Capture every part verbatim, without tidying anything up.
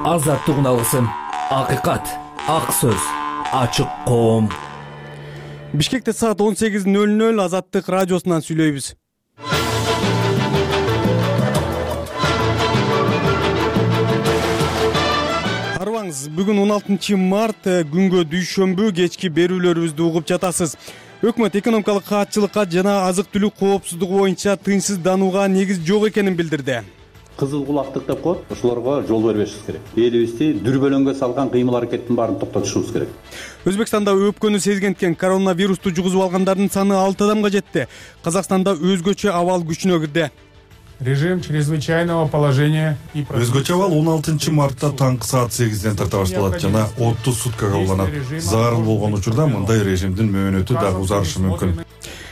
Азаттык алгысын, акыйкат, ак сөз, ачык коом. Бишкекте саат он сегиз ноль ноль Азаттык радиосунан сүйлөйбүз. Арыбаңыз, бүгүн он алтынчы март күнгө дүйшөмбү кечки берүүлөрүбүздү угуп жатасыз. Өкмөт экономикалык каатчылыкка жана азык-түлүк коопсуздугу боюнча тынчсызданууга негиз жок экенин билдирди. Кызыл кулактык деп коет, ошолорго жол бербешибиз керек. Элибизди дүрбөлөңгө салган кыймыл аракеттин баарын токтотушубуз керек. Өзбекстанда өпкөнү сезгенткен коронавирусту жугузуп алгандардын саны алты адамга жетти. Казакстанда өзгөчө абал күчүнө кирди. Режим чрезвычайного положения и өзгөчө абал он алтынчы мартта таңкы саат сегизден тарта башталат жана отуз суткага уланат. Зарыл болгон учурда мындай режимдин мөөнөтү дагы узарышы мүмкүн.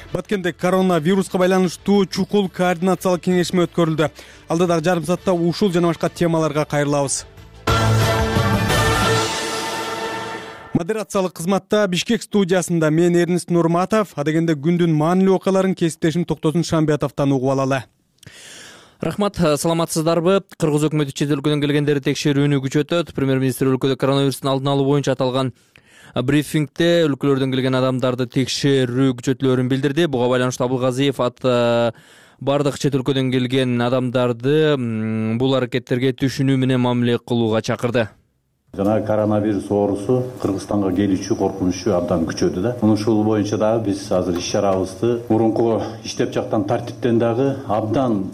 Баткенде коронавируска байланыштуу чукул координациялык кеңешме өткөрүлдү. Алдыдагы жарым саатта ушул жана башка темаларга кайрылабыз. Модерациялык кызматта Бишкек студиясында мен Эрнест Нурматов, адегенде күндүн маанилүү окуяларын кесиптешим Токтосун Шамбиятовдон угуп алалы. Рахмат, саламатсыздарбы? Кыргыз өкмөтү чет өлкөдөн келгендерди текшерүүнү күчөтөт. Премьер-министр өлкөдө коронавирустун алдын алуу боюнча аталган брифингде өлкөлөрдөн келген адамдарды текшерүү күчөтүлөөрүн билдирди. Буга байланыштуу Абылгазиев ат бардык чет өлкөдөн келген адамдарды бул аракеттерге түшүнүү менен мамиле кылууга чакырды. Жана коронавирус оорусу Кыргызстанга келүүчү коркунучу абдан күчөдү да. Ушул боюнча дагы биз азыр иш-чарабызды мурунку иштеп жаткан тартиптен дагы абдан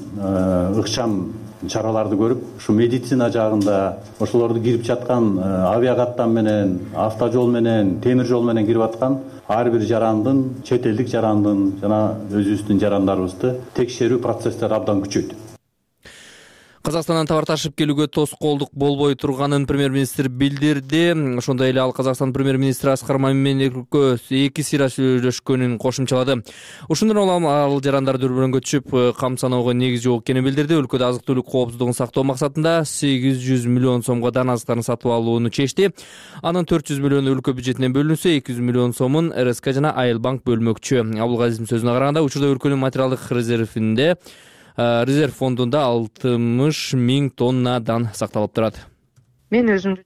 ыкчам чараларды көрүп, ушу медицина жагында ошолорду кирип жаткан авиакаттан менен, автожол менен, темир жол менен кирип аткан ар бир жарандын, чет элдик жарандын жана өзүбүздүн жарандарыбызды текшерүү процесстери абдан күчөйдү. Казакстандан товар ташып келүүгө тоскоолдук болбой турганын премьер-министр билдирди. Ошондой эле ал Казакстан премьер-министри Аскар Маминенко эки сыйра сүйлөшкөнүн кошумчалады. Ушундан улам ал жарандар дүрбөлөңгө түшүп, кам саноого негиз жок экенин билдирди. Өлкөдө азык-түлүк коопсуздугун сактоо максатында сегиз жүз миллион сомго дан азыктарын сатып алууну чечти. Анын төрт жүз миллиону өлкө бюджетинен бөлүнсө, эки жүз миллион сомун эр эс ка жана Айыл банк бөлмөкчү. Абылгазиевдин сөзүнө караганда, учурда өлкөнүн материалдык резервинде резерв фондунда алтымыш миң тонна дан сакталып турат. Мен өзүм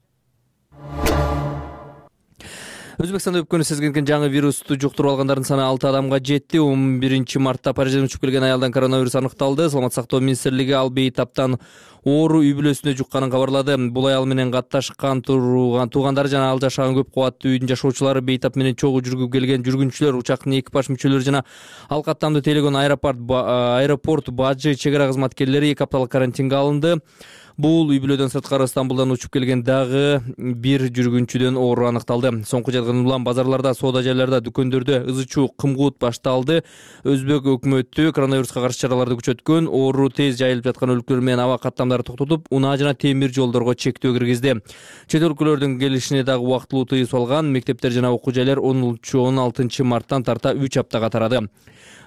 Өзбекстанда өпкөнү сезгенкен жаңы вирусту жуктуруп алгандардын саны алты адамга жетти. он биринчи мартта Парижден учуп келген аялдан коронавирус аныкталды. Саламат сактоо министрлиги ал бейтаптан оору үй бүлөсүнө жукканын кабарлады. Бул аял менен катташкан турган туугандары жана ал жашаган көп кабаттуу үйдүн жашоочулары, бейтап менен чогуу жүргүп келген жүргүнчүлөр, учактын экипаж мүчөлөрү жана ал каттамды тейлеген аэропорт аэропорт бажы чек ара кызматкерлери эки апталык карантинге алынды. Бул үй бүлөдөн сырткары Стамбулдан учуп келген дагы бир жүргүнчүдөн оору аныкталды. Соңку жылдан улам базарларда, соода жайларда, дүкөндөрдө ызы-чуу, кымгуут башталды. Өзбек өкмөтү коронавируска каршы чараларды күчөткөн, оору тез жайылып жаткан өлкөлөр менен аба каттамдарды токтотуп, унаа жана темир жолдорго чектөө киргизди. Чет өлкөлөрдүн келишине дагы убактылуу тыюу салган. Мектептер жана окуу жайлар он алтынчы марттан тарта үч аптага тарады.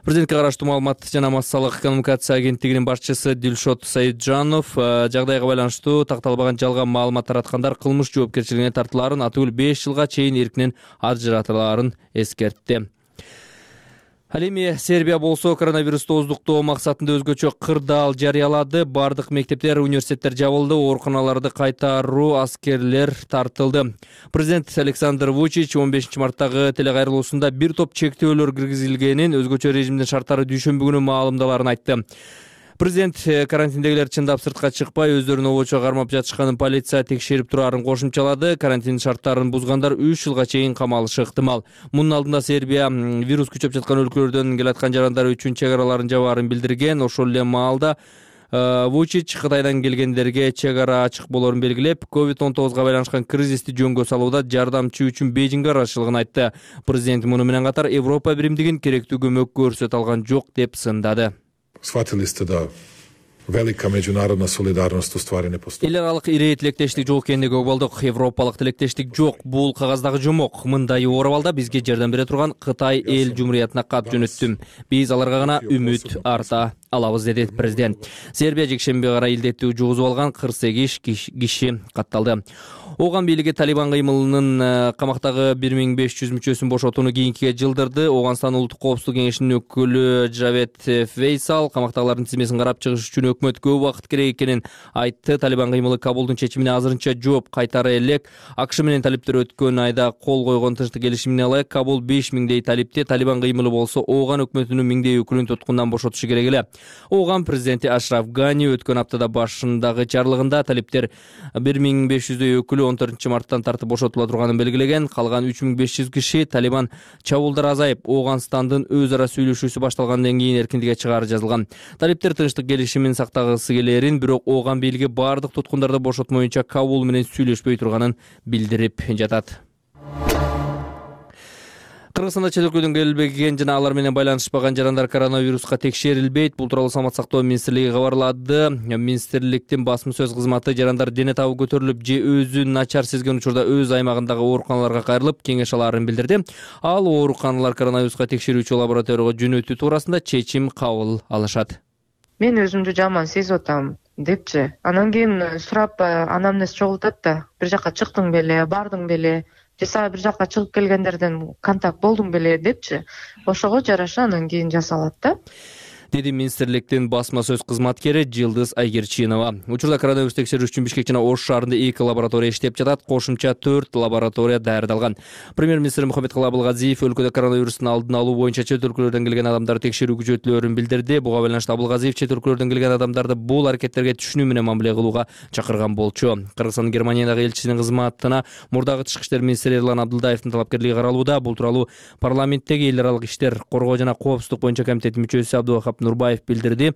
Президентке караштуу маалымат жана массалык коммуникация агенттигинин башчысы Дилшот Саиджанов жагдайга байланыштуу такталбаган жалган маалымат тараткандар кылмыш жоопкерчилигине тартылаарын, атыбыл беш жылга чейин эркинен ажыратылаарын эскертти. Ал эми Сербия болсо коронавирусту оздуктоо максатында өзгөчө кырдаал жарыялады. Бардык мектептер, университеттер жабылды, ооруканаларды кайтаруу, аскерлер тартылды. Президент Александр Вучич он бешинчи марттагы телекайрылуусунда бир топ чектөөлөр киргизилгенин, өзгөчө режимдин шарттары дүйшөмбү күнү маалымдаларын айтты. Президент карантиндегилер чындап сыртка чыкпай, өздөрүн обочо кармап жатышканын полиция текшерип турарын кошумчалады. Карантин шарттарын бузгандар үч жылга чейин камалышы ыктымал. Мунун алдында Сербия вирус күчөп жаткан өлкөлөрдөн келаткан жарандар үчүн чек араларын жабаарын билдирген. Ошол эле маалда Вучич Кытайдан келгендерге чек ара ачык болоорун белгилеп, ковид он тогузга байланышкан кризисти жөнгө салууда жардамчы үчүн Бейжиңге аралашчылыгын айтты. Президент муну менен катар Европа биримдигин керектүү көмөк көрсөтө алган жок деп сындады. Shvatili ste da velika međunarodna solidarnost u stvari ne postoji. Эл аралык ири тилектештик жок экендиги болдук. Европалык тилектештик жок. Бул кагаздагы жомок. Мындай оор абалда бизге жардам бере турган Кытай эл жумуриятына кат жөнөттүм. Биз аларга гана үмүт арта алабыз, деди президент. Сербия жекшемби кара илдетти жугузуп алган кырк сегиз киши катталды. Ооган бийлиги Талибан кыймылынын камактагы бир миң беш жүз мүчөсүн бошотууну кийинкиге жылдырды. Ооганстан улуттук коопсуздук кеңешинин өкүлү Джавед Фейсал камактагылардын тизмесин карап чыгыш үчүн өкмөт көп убакыт керек экенин айтты. Талибан кыймылы Кабулдун чечимине азырынча жооп кайтара элек. АКШ менен талиптер өткөн айда кол койгон тынчтык келишимине ылайык Кабул беш миңдей талипти, Талибан кыймылы болсо Ооган өкмөтүнүн миңдей өкүлүн туткундан бошотушу керек эле. Ооган президенти Ашраф Гани өткөн аптада башындагы чарлыгында талиптер бир миң беш жүздөй өкүлү он төртүнчү марттан тартып бошотула турганын белгилеген. Калган үч миң беш жүз киши Талибан чабуулдар азайып, Ооганстандын өз ара сүйлөшүүсү башталгандан кийин эркиндикке чыгаары жазылган. Талиптер тынчтык келишимин сактагысы келерин, бирок Ооган бийлиги бардык туткундарды бошотмоюнча Кабул менен сүйлөшпөй турганын билдирип жатат. Кыргызстанда чет өлкөдөн келбеген жана алар менен байланышпаган жарандар коронавируска текшерилбейт. Бул тууралуу Саламаттык сактоо министрлиги кабарлады. Министрликтин басма сөз кызматы жарандар дене табы көтөрүлүп же өзүн начар сезген учурда өз аймагындагы ооруканаларга кайрылып кеңеш алаарын билдирди. Ал ооруканалар коронавируска текшерүүчү лабораторияга жөнөтүү туурасында чечим кабыл алышат. Мен өзүмдү жаман сезип атам депчи. Анан кийин сурап анамнез чогултат да, бир жака чыктың беле, бардың беле, же сага бир жака чыгып келгендерден контакт болдуң беле депчи. Ошого жараша анан кийин жасалат да. Деди министрликтин басма сөз кызматкери Жылдыз Айгерчинова. Учурда коронавирус текшерүү үчүн Бишкек жана Ош шаарында эки лаборатория иштеп жатат, кошумча төрт лаборатория даярдалган. Премьер-министр Мухаммедкалый Абылгазиев өлкөдө коронавирустун алдын алуу боюнча чет өлкөлөрдөн келген адамдарды текшерүү күчөтүлөөрүн билдирди. Буга байланыштуу Абылгазиев чет өлкөлөрдөн келген адамдарды бул аракеттерге түшүнүү менен мамиле кылууга чакырган болчу. Кыргызстандын Германиядагы элчисинин кызматына мурдагы тышкы иштер министри Эрлан Абдылдаевдин талапкерлиги каралууда. Бул тууралуу парламенттеги эл аралык иштер, коргоо жана коопсуздук боюнча комитеттин мүчөсү Абдывахап Нурбаев билдирди.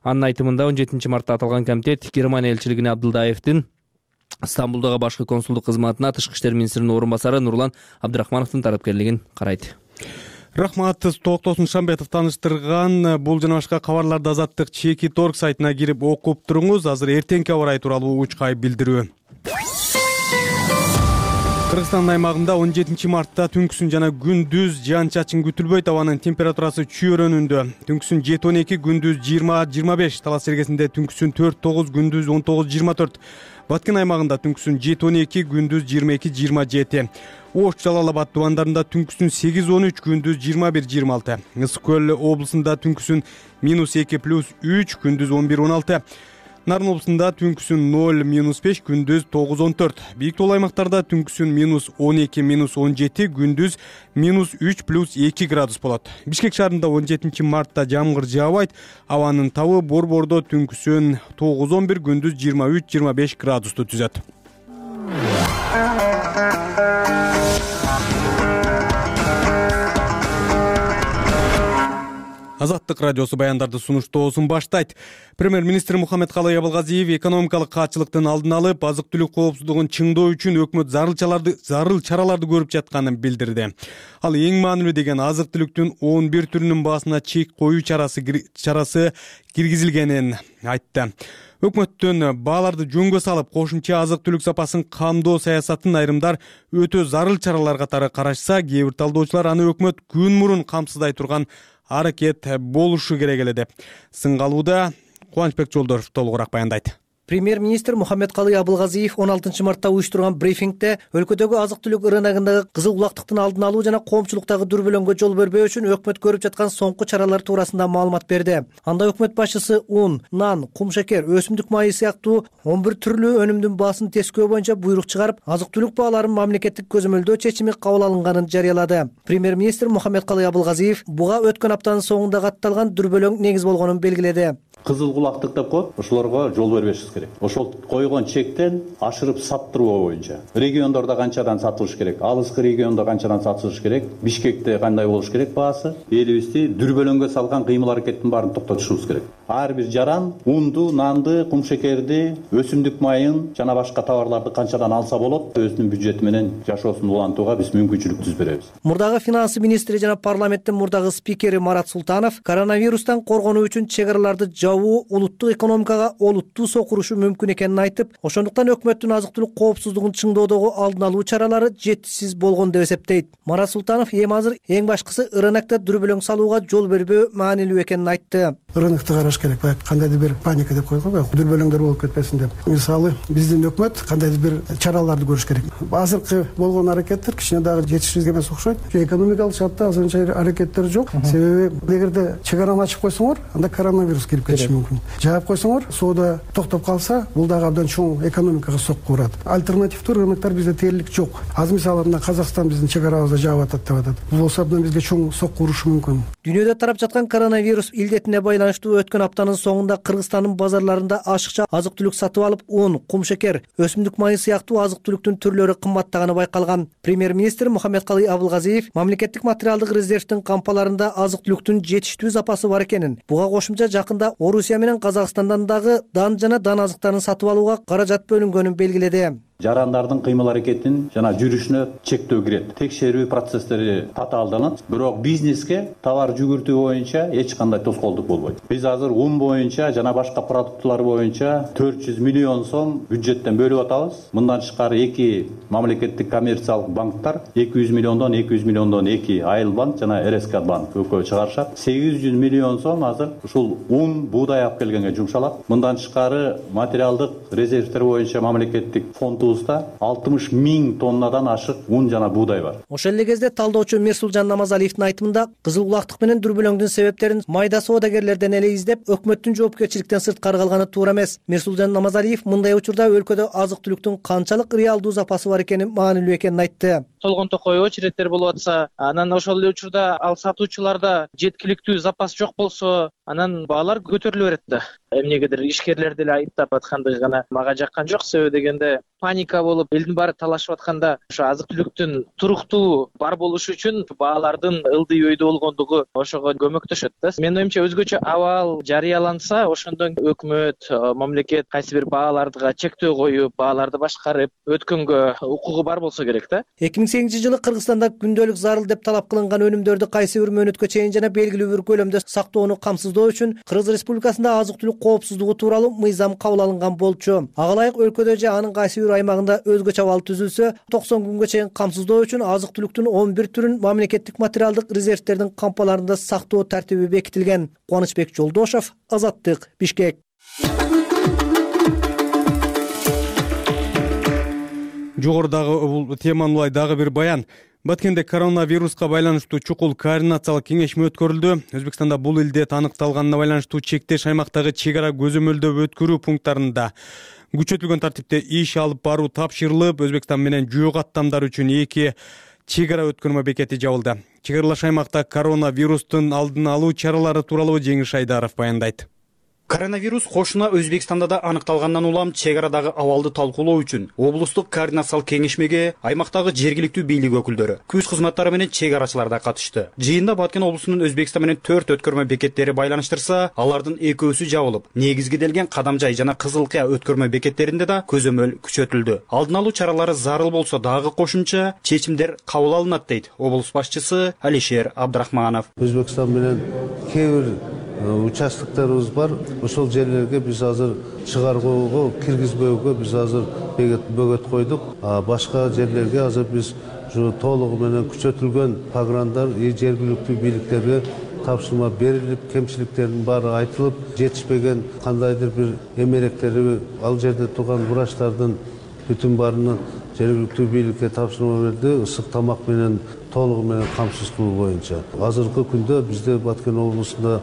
Анын айтымында он жетинчи мартта аталган комитет Германия элчилигине Абдылдаевдин Стамбулдагы башкы консулдук кызматына тышкы иштер министринин орун басары Нурлан Абдрахмановдун талапкерлигин карайт. Рахмат, Токтосун Шамбетов таныштырган. Бул жана башка кабарларды Азаттык Чеки торг сайтына кирип окуп туруңуз. Азыр эртеңки аба ырайы тууралуу учкай билдирүү. Кыргызстан аймагында он жетинчи мартта түнкүсүн жана күндүз жаан чачын күтүлбөйт. Абанын температурасы чөйрөнүндө. Түнкүсүн жети он эки, күндүз жыйырма жыйырма беш. Талас Сергесинде түнкүсүн төрт тогуз, күндүз он тогуз жыйырма төрт. Баткен аймагында түнкүсүн жети он эки, күндүз жыйырма эки жыйырма жети. Ош, Жалал Абад тубандарында түнкүсүн сегиз он үч, күндүз жыйырма бир жыйырма алты. Ысык көл облусунда түнкүсүн минус эки плюс үч, күндүз он бир он алты. Нарын облусунда түнкүсүн ноль минус беш, күндүз тогуз он төрт. Бийик тоол аймактарда түнкүсүн минус он эки минус он жети, күндүз минус үч плюс эки градус болот. Бишкек шаарында он жетинчи мартта жамгыр жаабайт. Абанын табы Борбордо түнкүсүн тогуз он бир, күндүз жыйырма үч жыйырма беш градусту түзөт. Азаттык радиосу баяндарды сунуштоосун баштайт. Премьер-министр Мухаммедкалый Абылгазиев экономикалык каатчылыктын алдын алып, азык-түлүк коопсуздугун чыңдоо үчүн өкмөт зарыл чараларды зарыл чараларды көрүп жатканын билдирди. Ал эң маанилүү деген азык-түлүктүн он бир түрүнүн баасына чек коюу чарасы чарасы киргизилгенин айтты. Өкмөттүн бааларды жөнгө салып, кошумча азык-түлүк сапасын камдоо саясатын айрымдар өтө зарыл чаралар катары карашса, кээ бир талдоочулар аны өкмөт күн мурун камсыздай турган аракет болушу керек эле деп сынгалууда. Кубанычбек Жолдоров толугураак баяндайт. Премьер-министр Мухаммедкалый Абылгазиев он алтынчы мартта уюштурган брифингде өлкөдөгү азык-түлүк рыногундагы кызыл булактыктын алдын алуу жана коомчулуктагы дүрбөлөңгө жол бербөө үчүн өкмөт көрүп жаткан соңку чаралар туурасында маалымат берди. Анда өкмөт башчысы ун, нан, кумшекер, өсүмдүк майы сыяктуу он бир түрлүү өнүмдүн баасын тескөө боюнча буйрук чыгарып, азык-түлүк бааларын мамлекеттик көзөмөлдөө чечими кабыл алынганын жарыялады. Премьер-министр Мухаммедкалый Абылгазиев буга өткөн аптанын соңунда катталган дүрбөлөң негиз болгонун белгиледи. Кызыл булактык деп коет, ошолорго жол бербешибиз керек. Ошол койгон чектен ашырып саттыруу боюнча региондордо канчадан сатылыш керек, алыскы региондо канчадан сатылыш керек, Бишкекте кандай болуш керек баасы, элибизди дүрбөлөңгө салган кыймыл аракеттин баарын токтотушубуз керек. Ар бир жаран унду, нанды, кумшекерди, өсүмдүк майын жана башка товарларды канчадан алса болот, өзүнүн бюджети менен жашоосун улантууга биз мүмкүнчүлүк түзүп беребиз. Мурдагы финансы министри жана парламенттин мурдагы спикери Марат Султанов коронавирустан коргонуу үчүн чек араларды улуттук экономикага олуттуу сокурушу мүмкүн экенин айтып, ошондуктан өкмөттүн азык-түлүк коопсуздугун чыңдоодогу алдын алуу чаралары жетишсиз болгон деп эсептейт. Марат Султанов эми азыр эң башкысы рынокто дүрбөлөң салууга жол бербөө маанилүү экенин айтты. Рынокто караш сакташ керек. Баягы кандайдыр бир паника деп коет го, баягы дүрбөлөңдөр болуп кетпесин деп. Мисалы биздин өкмөт кандайдыр бир чараларды көрүш керек. Азыркы болгон аракеттер кичине дагы жетишсиз эмес окшойт. Экономикалык шартта азырынча аракеттер жок. Себеби эгерде чегараны ачып койсоңор, анда коронавирус кирип кетиши мүмкүн. Жаап койсоңор, соода токтоп калса, бул дагы абдан чоң экономикага сокку урат. Альтернативдүү рыноктор бизде тээрлик жок. Аз мисалы мына Казакстан биздин чегарабызда жаап атат деп атат. Бул болсо абдан бизге чоң сокку урушу мүмкүн. Дүйнөдө тарап жаткан коронавирус илдетине байланыштуу өткөн аптанын соңунда Кыргызстандын базарларында ашыкча азык-түлүк сатып алып, un, кумшекер, өсүмдүк майы сыяктуу азык-түлүктүн түрлөрү кымбаттаганы байкалган. Премьер-министр Мухаммедкалый Абылгазиев мамлекеттик материалдык резервдин кампаларында азык-түлүктүн жетиштүү запасы бар экенин, буга кошумча жакында Орусия менен Казакстандан дагы дан жана дан азыктарын сатып алууга каражат бөлүнгөнүн белгиледи. Жарандардын кыймыл аракетин жана жүрүшүнө чектөө кирет. Текшерүү процесстери татаалданат, бирок бизнеске товар жүгүртүү боюнча эч кандай тоскоолдук болбойт. Биз азыр un боюнча жана башка продуктулар боюнча төрт жүз миллион сом бюджеттен бөлүп атабыз. Мындан тышкары эки мамлекеттик коммерциялык банктар эки жүз миллиондон эки жүз миллиондон эки Айыл банк жана эр эс ка банк экөө чыгарышат. сегиз жүз миллион сом азыр ушул un, буудай алып келгенге жумшалат. Мындан тышкары материалдык резервдер боюнча мамлекеттик фонд алтымыш миң тоннадан ашык un жана буудай бар. Ошол эле кезде талдоочу Мирсулжан Намазалиевдин айтымында кызыл булактык менен дүрбөлөңдүн себептерин майда соодагерлерден эле издеп, өкмөттүн жоопкерчиликтен сырткары калганы туура эмес. Мирсулжан Намазалиев мындай учурда өлкөдө азык-түлүктүн канчалык реалдуу запасы бар экенин маанилүү экенин айтты. Толгон токой очередтер болуп атса, анан ошол эле учурда ал сатуучуларда жеткиликтүү запас жок болсо, анан баалар көтөрүлө берет да. Эмнегедир ишкерлер деле айыптап атканды гана мага жаккан жок. Себеби дегенде паника болуп, элдин баары талашып атканда, ошо азык-түлүктүн туруктуу бар болушу үчүн баалардын ылдый өйдө болгондугу ошого көмөктөшөт да. Менин оюмча өзгөчө абал жарыяланса, ошондон өкмөт, мамлекет кайсы бир бааларга чектөө коюп, бааларды башкарып өткөнгө укугу бар болсо керек да. эки миң сегизинчи жылы Кыргызстанда күндөлүк зарыл деп талап кылынган өнүмдөрдү кайсы бир мөөнөткө чейин жана белгилүү бир көлөмдө сактоону камсыздоо үчүн Кыргыз Республикасында азык-түлүк коопсуздугу тууралуу мыйзам кабыл алынган болчу. Ага ылайык өлкөдө же анын кайсы бир аймагында өзгөчө абал түзүлсө, токсон күнгө чейин камсыздоо үчүн азык-түлүктүн он бир түрүн мамлекеттик материалдык резервдердин кампаларында сактоо тартиби бекитилген. Кубанычбек Жолдошов, Азаттык, Бишкек. Жогорудагы бул теманын улай дагы бир баян. Баткенде коронавируска байланыштуу чукул координациялык кеңешме өткөрүлдү. Өзбекстанда бул илдет аныкталганына байланыштуу чектеш аймактагы чек ара көзөмөлдөп өткөрүү пункттарында күчөтүлгөн тартипте иш алып баруу тапшырылып, Өзбекстан менен жөө каттамдар үчүн эки чек ара өткөрмө бекети жабылды. Чек аралаш аймакта коронавирустун алдын алуу чаралары тууралуу Жеңиш Айдаров баяндайт. Коронавирус кошуна Өзбекстанда да аныкталгандан улам чек арадагы абалды талкуулоо үчүн облустук координациялык кеңешмеге аймактагы жергиликтүү бийлик өкүлдөрү, күч кызматтары менен чек арачылар да катышты. Жыйында Баткен облусунун Өзбекстан менен төрт өткөрмө бекеттери байланыштырса, алардын экөөсү жабылып, негизгиделген Кадамжай жана Кызылкыя өткөрмө бекеттеринде да көзөмөл күчөтүлдү. Алдын алуу чаралары зарыл болсо дагы кошумча чечимдер кабыл алынат дейт облус башчысы Алишер Абдрахманов. Өзбекстан менен кээ бир участокторубуз бар. Ошол жерлерге биз азыр чыгаргоого, киргизбөөгө биз азыр бөгөт койдук. А башка жерлерге азыр биз толугу менен күчөтүлгөн программдар жергиликтүү бийликтерге тапшырма берилип, кемчиликтердин баары айтылып, жетишпеген кандайдыр бир эмеректери ал жерде турган врачтардын бүтүн баарынын жергиликтүү бийликке тапшырма берди, ысык тамак менен толугу менен камсыз кылуу боюнча. Азыркы күндө бизде Баткен облусунда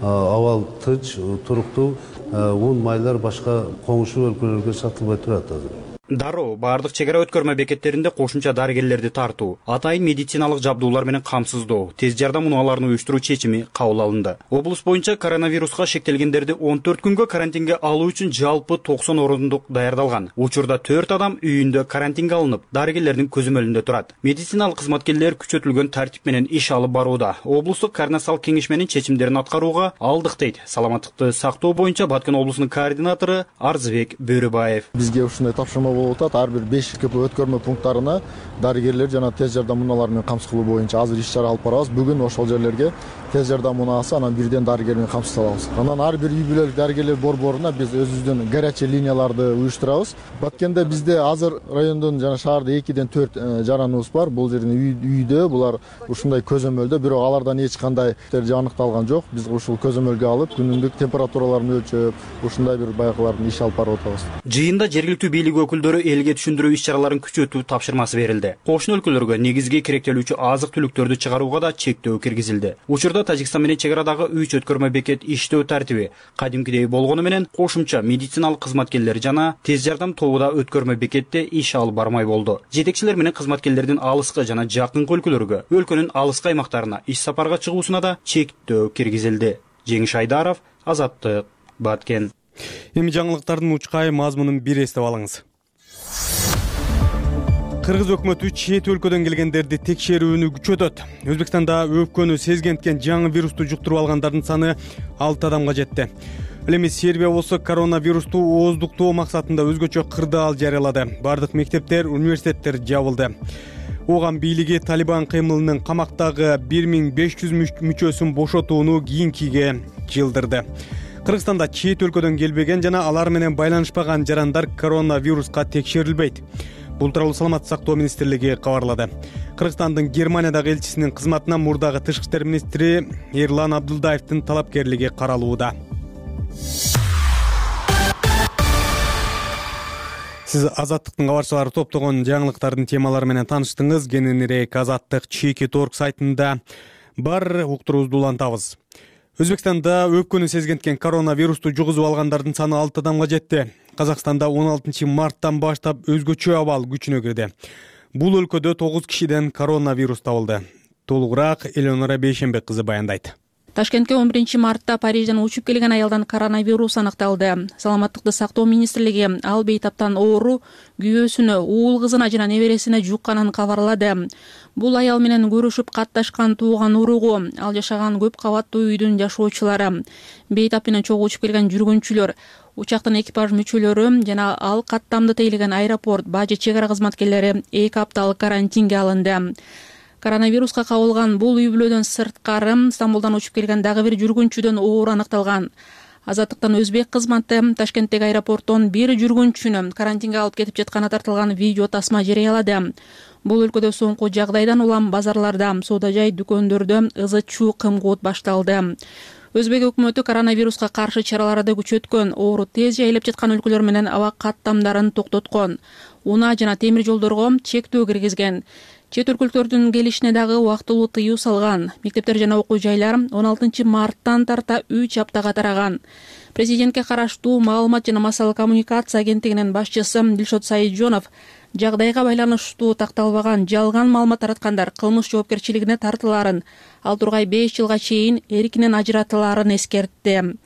абал тынч, туруктуу, un майлар башка коңшу өлкөлөргө сатылбай турат азыр. Дароо баардык чек ара өткөрмө бекеттеринде кошумча дарыгерлерди тартуу, атайын медициналык жабдуулар менен камсыздоо, тез жардам унааларын уюштуруу чечими кабыл алынды. Облус боюнча коронавируска шектелгендерди он төрт күнгө карантинге алуу үчүн жалпы токсон орундук даярдалган. Учурда төрт адам үйүндө карантинге алынып, дарыгерлердин көзөмөлүндө турат. Медициналык кызматкерлер күчөтүлгөн тартип менен иш алып барууда. Облустук координациялык кеңешменин чечимдерин аткарууга алдык дейт саламаттыкты сактоо боюнча Баткен облусунун координатору Арзыбек Бөрүбаев. Бизге ушундай тапшырма болуп атат. Ар бир беш КП өткөрмө пункттарына дарыгерлер жана тез жардам унаалары менен камсыз кылуу боюнча азыр иш чара алып барабыз. Бүгүн ошол жерлерге тез жардам унаасы анан бирден дарыгер менен камсыз алабыз. Анан ар бир үй бүлөлүк дарыгерлер борборуна биз өзүбүздүн горячий линияларды уюштурабыз. Баткенде бизде азыр райондон жана шаарда экиден төрт жараныбыз бар. Бул жердин үйдө булар ушундай көзөмөлдө, бирок алардан эч кандай аныкталган жок. Биз ушул көзөмөлгө алып, күнүмдүк температураларын өлчөп, ушундай бир байкалардын иш алып барып атабыз. Жыйында жергиликтүү бийлик өкүлдөрү элге түшүндүрүү иш-чараларын күчөтүү тапшырмасы берилди. Кошуна өлкөлөргө негизги керектелүүчү азык-түлүктөрдү чыгарууга да чектөө киргизилди. Учурда Тажикстан менен чек арадагы үч өткөрмө бекет иштөө тартиби кадимкидей болгону менен кошумча медициналык кызматкерлер жана тез жардам тобу да өткөрмө бекетте иш алып бармай болду. Жетекчилер менен кызматкерлердин алыскы жана жакынкы өлкөлөргө, өлкөнүн алыскы аймактарына иш сапарга чыгуусуна да чектөө киргизилди. Жеңиш Айдаров, Азаттык, Баткен. Эми жаңылыктардын учкай мазмунун бир эстеп алыңыз. Кыргыз өкмөтү чет өлкөдөн келгендерди текшерүүнү күчөтөт. Өзбекстанда өпкөнү сезгенткен жаңы вирусту жуктуруп алгандардын саны алты адамга жетти. Ал эми Сербия болсо коронавирусту ооздуктоо максатында өзгөчө кырдаал жарыялады. Бардык мектептер, университеттер жабылды. Оған бийлиги Талибан кыймылынын камактагы бир миң беш жүз мүчөсүн бошотууну кийинкиге жылдырды. Кыргызстанда чет өлкөдөн келбеген жана алар менен байланышпаган жарандар коронавируска текшерилбейт. Бул тууралуу Саламаттык сактоо министрлиги кабарлады. Кыргызстандын Германиядагы элчисинин кызматына мурдагы тышкы иштер министри Эрлан Абдылдаевдин талапкерлиги каралууда. Сиз Азаттыктын кабарчылары топтогон жаңылыктардын темалары менен тааныштыңыз. Кененирээк Азаттык чеки точка орг сайтында бар, уктуруубузду улантабыз. Өзбекстанда өпкөнү сезгенткен коронавирусту жугузуп алгандардын саны алты адамга жетти. Казакстанда он алтынчы марттан баштап өзгөчө абал күчүнө кирди. Бул өлкөдө тогуз кишиден коронавирус табылды. Толугураак Элеонора Бейшенбек кызы баяндайт. Ташкентке он биринчи мартта Парижден учуп келген аялдан коронавирус аныкталды. Саламаттыкты сактоо министрлиги ал бейтаптан оору күйөөсүнө, уул кызына жана небересине жукканын кабарлады. Бул аял менен көрүшүп катташкан тууган уругу, ал жашаган көп кабаттуу үйдүн жашоочулары, бейтап менен чогуу учуп келген жүргүнчүлөр, учактын экипаж мүчөлөрү жана ал каттамды тейлеген аэропорт, бажы чек ара кызматкерлери эки апталык карантинге алынды. Коронавируска кабылган бул үй бүлөдөн сырткары Стамбулдан учуп келген дагы бир жүргүнчүдөн оору аныкталган. Азаттыктан өзбек кызматы Ташкенттеги аэропорттон бир жүргүнчүнү карантинге алып кетип жатканы тартылган видео тасма жарыялады. Бул өлкөдө соңку жагдайдан улам базарларда, соода жай дүкөндөрдө ызы-чуу кымкуут башталды. Өзбек өкмөтү коронавируска каршы чараларды күчөткөн, оору тез жайылып жаткан өлкөлөр менен аба каттамдарын токтоткон, унаа жана темир жолдорго чектөө киргизген. Чет өлкөлөрдүн келишине дагы убактылуу тыюу салган. Мектептер жана окуу жайлар он алтынчы марттан тарта үч аптага тараган. Президентке караштуу маалымат жана массалык коммуникация агенттигинин башчысы Дилшот Саиджонов жагдайга байланыштуу такталбаган жалган маалымат тараткандар кылмыш жоопкерчилигине тартылаарын, ал тургай беш жылга чейин эркинен ажыратылаарын эскертти.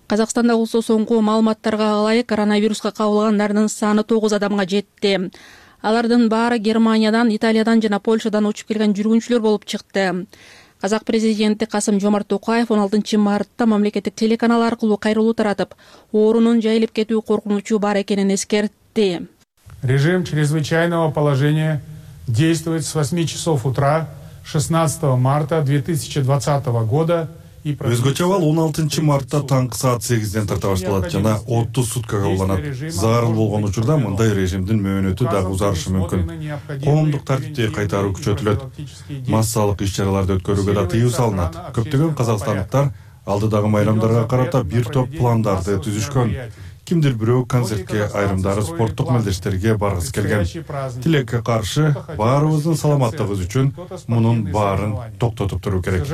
Казакстанда болсо соңку маалыматтарга ылайык коронавируска кабылгандардын саны тогуз адамга жетти. Алардын баары Германиядан, Италиядан жана Польшадан учуп келген жүргүнчүлөр болуп чыкты. Казак президенти Касым-Жомарт Токаев он алтынчы мартта мамлекеттик телеканал аркылуу кайрылуу таратып, оорунун жайылып кетүү коркунучу бар экенин эскертти. Режим чрезвычайного положения действует с восьми часов утра шестнадцатого марта две тысячи двадцатого года. Өзгөчө абал он алтынчы мартта таңкы саат сегизден тарта башталат жана отуз суткага уланат. Зарыл болгон учурда мындай режимдин мөөнөтү дагы узарышы мүмкүн. Коомдук тартипти кайтаруу күчөтүлөт. Массалык иш-чараларды өткөрүүгө да тыюу салынат. Көптөгөн казакстандыктар алдыдагы майрамдарга карата бир топ пландарды түзүшкөн. Кимдир бирөө концертке, айрымдары спорттук мелдештерге баргысы келген. Тилекке каршы баарыбыздын саламаттыгыбыз үчүн мунун баарын токтотуп туруу керек.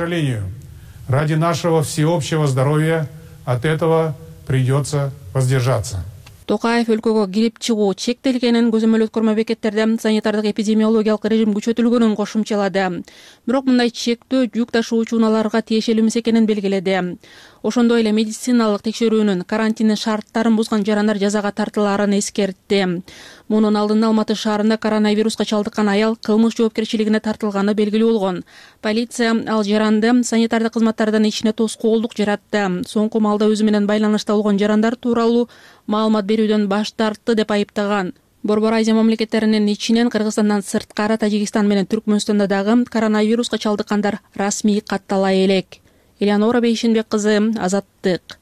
Ради нашего всеобщего здоровья от этого придется воздержаться. Токаев өлкөгө кирип чыгуу чектелгенин, көзөмөл өткөрмө бекеттерде санитардык эпидемиологиялык режим күчөтүлгөнүн кошумчалады. Бирок мындай чектөө жүк ташуучу унааларга тиешелүү эмес экенин белгиледи. Ошондой эле медициналык текшерүүнүн, карантиндин шарттарын бузган жарандар жазага тартылаарын эскертти. Мунун алдында Алматы шаарында коронавируска чалдыккан аял кылмыш жоопкерчилигине тартылганы белгилүү болгон. Полиция ал жаранды санитардык кызматтардын ишине тоскоолдук жаратты. Соңку маалда өзү менен байланышта болгон жарандар тууралуу маалымат берүүдөн баш тартты деп айыптаган. Борбор Азия мамлекеттеринин ичинен Кыргызстандан сырткары Тажикстан менен Түркмөнстанда дагы коронавируска чалдыккандар расмий каттала элек. Элеонора Бейшенбек кызы, Азаттык.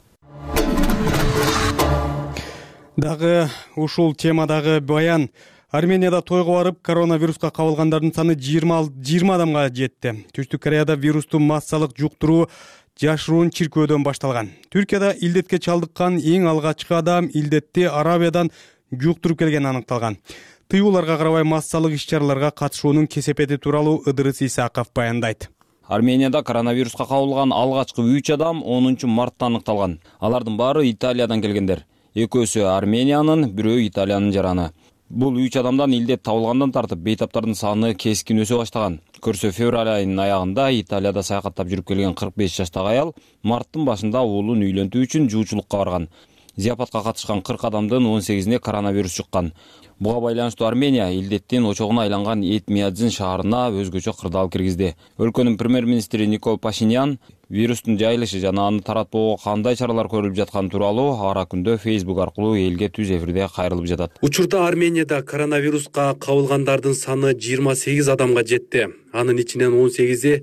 Дагы ушул темадагы баян. Арменияда тойго барып, коронавируска кабылгандардын саны жыйырма адамга жетти. Түштүк Кореяда вирусту массалык жуктуруу жашыруун чиркөөдөн башталган. Түркияда илдетке чалдыккан эң алгачкы адам илдетти Арабиядан жуктуруп келгени аныкталган. Тыюуларга карабай массалык иш-чараларга катышуунун кесепети тууралуу Ыдырыс Исаков баяндайт. Арменияда коронавируска кабылган алгачкы үч адам онунчу мартта аныкталган. Алардын баары Италиядан келгендер. Экөөсү Армениянын, бирөө Италиянын жараны. Бул үч адамдан илдет табылгандан тартып бейтаптардын саны кескин өсө баштаган. Көрсө февраль айынын аягында Италияда саякаттап жүрүп келген кырк беш жаштагы аял марттын башында уулун үйлөнтүү үчүн жуучулукка барган. Зияпатка катышкан кырк адамдын он сегизине коронавирус чыккан. Буга байланыштуу Армения илдеттин очогуна айланган Этмиадзин шаарына өзгөчө кырдаал киргизди. Өлкөнүн премьер-министри Никол Пашинян вирустун жайылышы жана аны таратпоого кандай чаралар көрүлүп жатканы тууралуу ара күндө Facebook аркылуу элге түз эфирде кайрылып жатат. Учурда Арменияда коронавируска кабылгандардын саны жыйырма сегиз адамга жетти. Анын ичинен он сегизи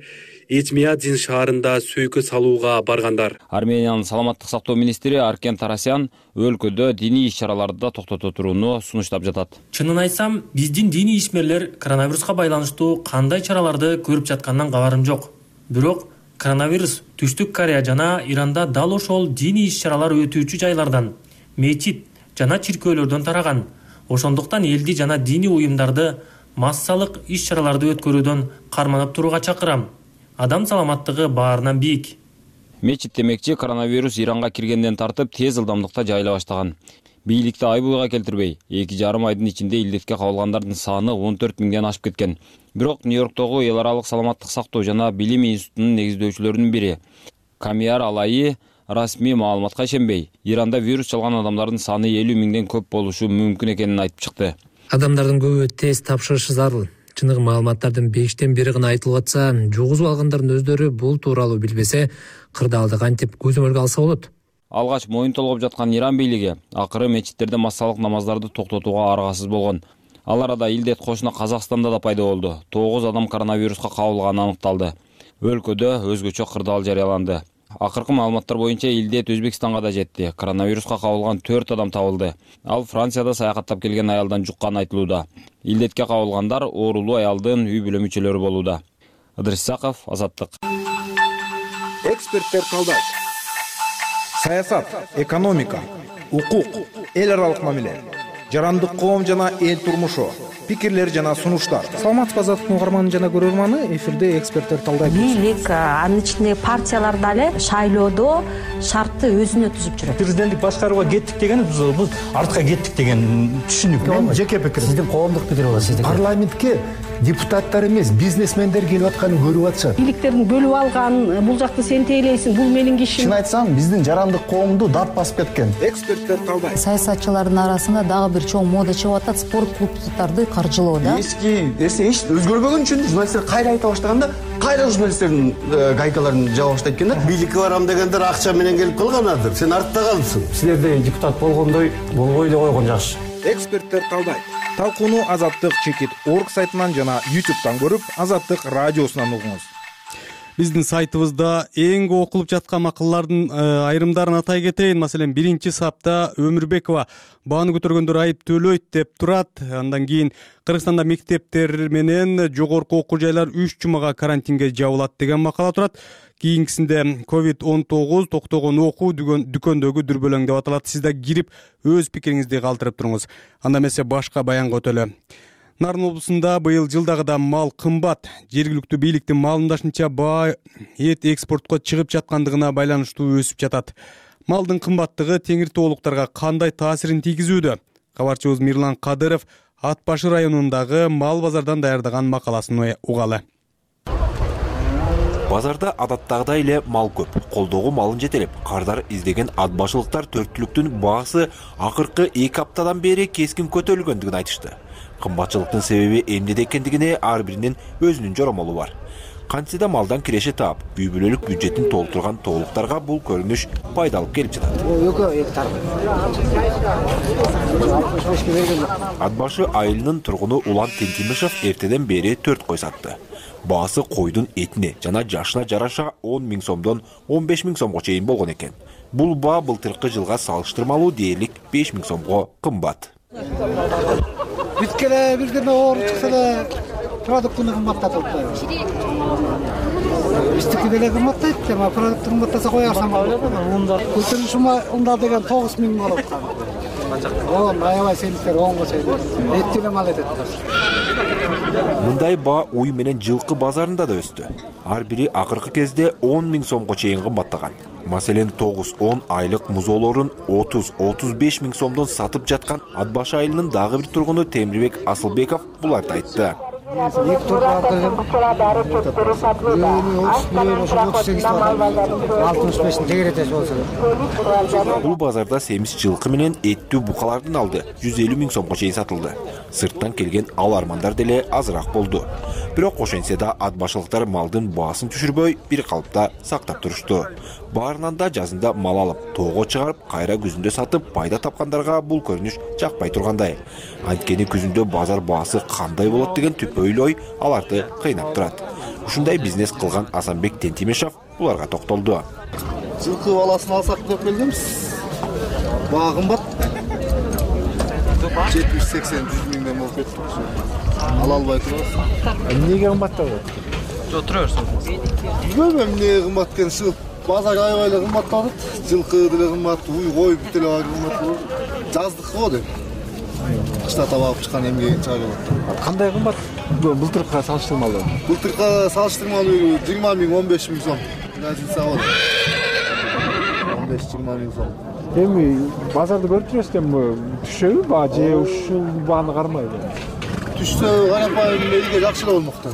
Этмиадзин шаарында сөйкө салууга баргандар. Армениянын саламаттык сактоо министри Аркен Тарасян өлкөдө диний иш-чараларды да токтото турууну сунуштап жатат. Чынын айтсам, биздин диний ишмерлер коронавируска байланыштуу кандай чараларды көрүп жаткандан кабарым жок. Бирок коронавирус Түштүк Корея жана Иранда дал ошол диний иш-чаралар өтүүчү жайлардан, мечит жана чиркөөлөрдөн тараган. Ошондуктан элди жана диний уюмдарды массалык иш-чараларды өткөрүүдөн карманып турууга чакырам. Адам саламаттыгы баарынан бийик. Мечит демекчи коронавирус Иранга киргенден тартып тез ылдамдыкта жайыла баштаган. Бийликти ай-буйга келтирбей, эки жарым айдын ичинде илдетке кабылгандардын саны он төрт миңден ашып кеткен. Бирок Нью-Йорктогу эл аралык саламаттык сактоо жана билим институтунун негиздөөчүлөрүнүн бири Камияр Алайы расмий маалыматка ишенбей, Иранда вирус чалган адамдардын саны элүү миңден көп болушу мүмкүн экенин айтып чыкты. Адамдардын көбү тест тапшырышы зарыл. Чыныгы маалыматтардын бештен бири гана айтылып атса, жугузуп алгандардын өздөрү бул тууралуу билбесе, кырдаалды кантип көзөмөлгө алса болот. Алгач моюн толгоп жаткан Иран бийлиги акыры мечиттерде массалык намаздарды токтотууга аргасыз болгон. Ал арада илдет кошуна Казакстанда да пайда болду. тогуз адам коронавируска кабылганы аныкталды. Өлкөдө өзгөчө кырдаал жарыяланды. Акыркы маалыматтар боюнча илдет Өзбекстанга да жетти. Коронавируска кабылган төрт адам табылды. Ал Францияда саякаттап келген аялдан жукканы айтылууда. Илдетке кабылгандар оорулуу аялдын үй бүлө мүчөлөрү болууда. Ыдырыс Исаков, Азаттык. Эксперттер талдайт. Саясат, экономика, укук, эл аралык мамиле, жарандык коом жана эл турмушу, пикирлер жана сунуштар. Саламатсызбы Азаттыктын угарманы жана көрөрманы, эфирде эксперттер талдайт. Бийлик, анын ичинде партиялар дагы шайлоодо шартты өзүнө түзүп жүрөт. Президенттик башкарууга кеттик деген бул артка кеттик деген түшүнүк. Мен жеке пикирим. Сиздин коомдук пикир болот, сиздики. Парламентке депутаттар эмес, бизнесмендер келип атканын көрүп атышат. Бийликтердин бөлүп алган, бул жакты сен тейлейсиң, бул менин кишим. Чын айтсам, биздин жарандык коомду дат басып кеткен. Эксперттер талдайт. Саясатчылардын арасында дагы бир чоң мода чыгып атат, спорт клубдарды каржылоо да. Эски эсе эч өзгөрбөгөн үчүн журналисттер кайра айта баштаганда, кайра журналисттердин гайкаларын жаба баштайт экен да. Бийликке барам дегендер акча менен келип калганадыр. Сен артта калдың. Силерде депутат болгондой болбой эле койгон жакшы. Эксперттер талдайт. Талкууну Азаттык чекит орг сайтынан жана ютубтан көрүп, Азаттык радиосунан угуңуз. Биздин сайтыбызда эң көп окулуп жаткан макалалардын айрымдарын атай кетейин. Маселен, биринчи сапта Өмүрбекова бааны көтөргөндөр айып төлөйт деп турат. Андан кийин Кыргызстанда мектептер менен жогорку окуу жайлар үч жумага карантинге жабылат деген макала турат. Кийинкисинде ковид он тогуз токтогон окуу дүкөндөгү дүрбөлөң деп аталат. Сиз да кирип өз пикириңизди калтырып туруңуз. Анда эмесе башка баянга өтөлө. Нарын облусунда быйыл жылдагыдан мал кымбат. Жергиликтүү бийликтин маалымдашынча баа эт экспортко чыгып жаткандыгына байланыштуу өсүп жатат. Малдын кымбаттыгы теңир тоолуктарга кандай таасирин тийгизүүдө? Кабарчыбыз Мирлан Кадыров Ат Башы районундагы мал базардан даярдаган макаласын угалы. Базарда адаттагыдай эле мал көп. Колдогу малын жетелеп, кардар издеген ат башылыктар төрт түлүктүн баасы акыркы эки аптадан бери кескин көтөрүлгөндүгүн айтышты. Кымбатчылыктын себеби эмнеде экендигине ар биринин өзүнүн жоромолу бар. Кантсе да малдан киреше таап, үй бүлөлүк бюджетин толтурган тоолуктарга бул көрүнүш пайдалып келип жатат. алтымыш бешке берген. Ат башы айылынын тургуну Улан Тентимишев эртеден бери төрт кой сатты. Баасы койдун этине жана жашына жараша он миң сомдон он беш миң сомго чейин болгон экен. Бул баа былтыркы жылга салыштырмалуу дээрлик беш миң сомго кымбат. Бүткеле бирдеме оор чыкса да продуктуну кымбаттатып атпайбы? Биздики деле кымбаттайт, эми продукт кымбаттаса коярсам болот. Көтөрүш унда деген тогуз миң болот. Он аябай сенсер онго чейин. Эт деле мал этет. Мындай баа уй менен жылкы базарында да өстү. Ар бири акыркы кезде он миң сомго чейин кымбаттаган. Маселен тогуз он айлык музоолорун отуз отуз беш миң сомдон сатып жаткан Ат башы айылынын дагы бир тургуну Темирбек Асылбеков буларды айтты. Бул базарда семиз жылкы менен эттүү букалардын алды жүз элүү миң сомго чейин сатылды. Сырттан келген алармандар деле азыраак болду. Бирок ошентсе да ат башылыктар малдын баасын түшүрбөй бир калыпта сактап турушту. Баарынан да жазында мал алып, тоого чыгарып, кайра күзүндө сатып пайда тапкандарга бул көрүнүш жакпай тургандай. Анткени күзүндө базар баасы кандай болот деген түпөйлүү ой аларды кыйнап турат. Ушундай бизнес кылган Асанбек Тентимишев буларга токтолду. Жылкы баласын алсак деп келдимиз. Баа кымбат. жетимиш сексен жүз миңден болуп кетти. Ала албай турабыз. Эмнеге кымбаттап атат? Жок, тура берсиңиз. Билбейм эмне кымбат экенин. Базар аябай эле кымбаттап атат. Жылкы деле кымбат, уй кой бүт эле кымбат. Жаздык го деп. Кышта табап чыккан эмге чыга келет. Кандай кымбат? Былтыркыга салыштырмалуу. Былтыркыга салыштырмалуу жыйырма миң он беш миң сом. Разница бар. он беш жыйырма миң сом. Эми базарды көрүп турасыз эми түшөбү баа же ушул бааны кармайбы? Түшсө карапайым элге жакшы эле болмокта.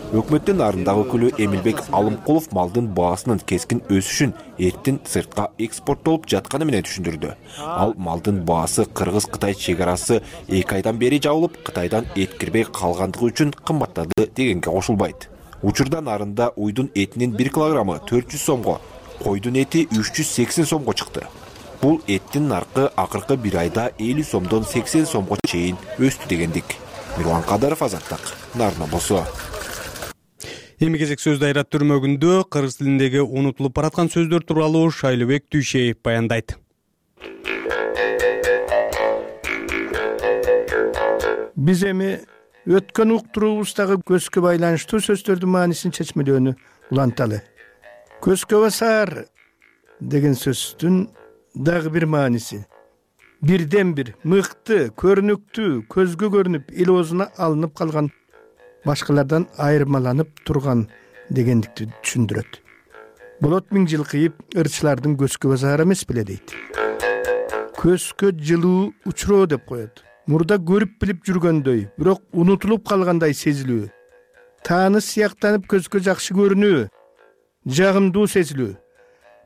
Өкмөттүн арындагы өкүлү Эмилбек Алымкулов малдын баасынын кескин өсүшүн эрттин сыртка экспорттолуп жатканы менен түшүндүрдү. Ал малдын баасы Кыргыз-Кытай чек арасы эки айдан бери жабылып, Кытайдан эт кирбей калгандыгы үчүн кымбаттады дегенге кошулбайт. Учурда нарында уйдун этинин бир килограммы төрт жүз сомго, койдун эти үч жүз сексен сомго чыкты. Бул эттин наркы акыркы бир айда элүү сомдон сексен сомго чейин өстү дегендик. Мирлан Кадаров, Азаттык, Нарна болсо. Эми кезек сөздү айрат түрмөгүндө кыргыз тилиндеги унутулуп бараткан сөздөр тууралуу Шайлыбек Түйшеев баяндайт. Биз эми өткөн уктуруубуздагы көзгө байланыштуу сөздөрдүн маанисин чечмелөөнү уланталы. Көзгө басар деген сөздүн дагы бир мааниси бирден бир мыкты, көрүнүктүү, көзгө көрүнүп, эл оозуна алынып калган, башкалардан айырмаланып турган дегендикти түшүндүрөт. Болот миң жыл кыйып, ырчылардын көзгө басары эмес беле дейт. Көзгө жылуу учуроо деп коет. Мурда көрүп билип жүргөндөй, бирок унутулуп калгандай сезилүү. Тааны сыяктанып көзгө жакшы көрүнүү, жагымдуу сезилүү.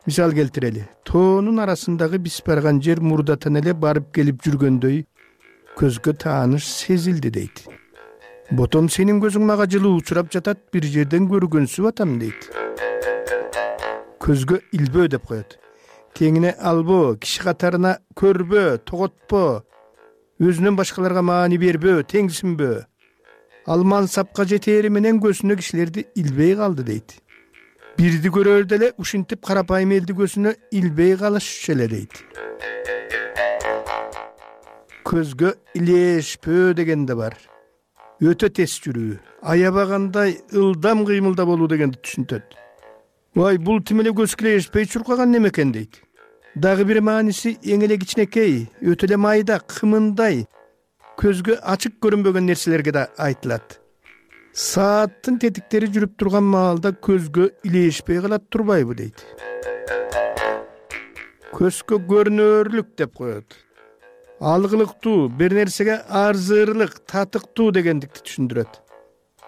Мисал келтирели. Тоонун арасындагы биз барган жер мурдатан эле барып келип жүргөндөй көзгө тааныш сезилди дейт. Ботом сенин көзүң мага жылуу учурап жатат, бир жерден көргөнсүп атам дейт. Көзгө илбөө деп коет. Теңине албоо, киши катарына көрбөө, тоготпоо, өзүнөн башкаларга маани бербөө, теңсинбөө. Ал мансапка жетери менен көзүнө кишилерди илбей калды дейт. Бирди көрөрдө эле ушинтип карапайым элди көзүнө илбей калышчу эле дейт. Көзгө илешпөө деген да бар. Өтө тез жүрүү, аябагандай ылдам кыймылда болуу дегенди түшүнтөт. Вай, бул тим эле көзгө илешпей чуркаган неме экен дейт. Дагы бир мааниси эң эле кичинекей, өтө эле майда, кымындай, көзгө ачык көрүнбөгөн нерселерге да айтылат. Сааттын тетиктери жүрүп турган маалда көзгө илешпей калат турбайбы дейт. Көзгө көрүнөрлүк деп коет. Алгылыктуу, бир нерсеге арзырлык, татыктуу дегендикти түшүндүрөт.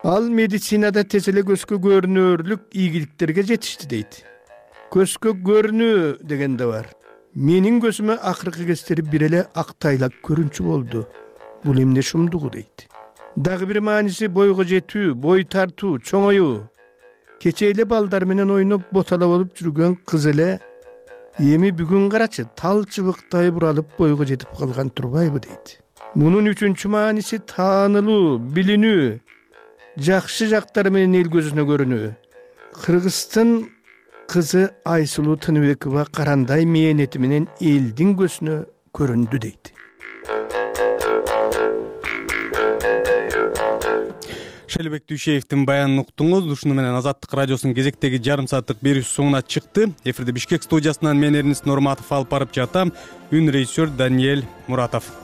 Ал медицинада тез эле көзгө көрүнөрлүк ийгиликтерге жетишти дейт. Көзгө көрүнүү деген да бар. Менин көзүмө акыркы кездери бир эле актайлак көрүнчү болду. Бул эмне шумдугу дейт. Дагы бир мааниси бойго жетүү, бой тартуу, чоңоюу. Кече эле балдар менен ойноп ботала болуп жүргөн кыз эле эми бүгүн карачы тал чыбыктай буралып бойго жетип калган турбайбы дейт. Мунун үчүнчү мааниси таанылуу, билинүү, жакшы жактары менен эл көзүнө көрүнүү. Кыргыздын кызы Айсулуу Тыныбекова карандай мээнети менен элдин көзүнө көрүндү дейт. Шелбек Дүйшеевдин баянын уктуңуз. Ушуну менен Азаттык радиосунун кезектеги жарым сааттык берүүсү соңуна чыкты. Эфирде Бишкек студиясынан мен Эрнест Норматов алып барып жатам. Үн режиссер Даниэль Муратов.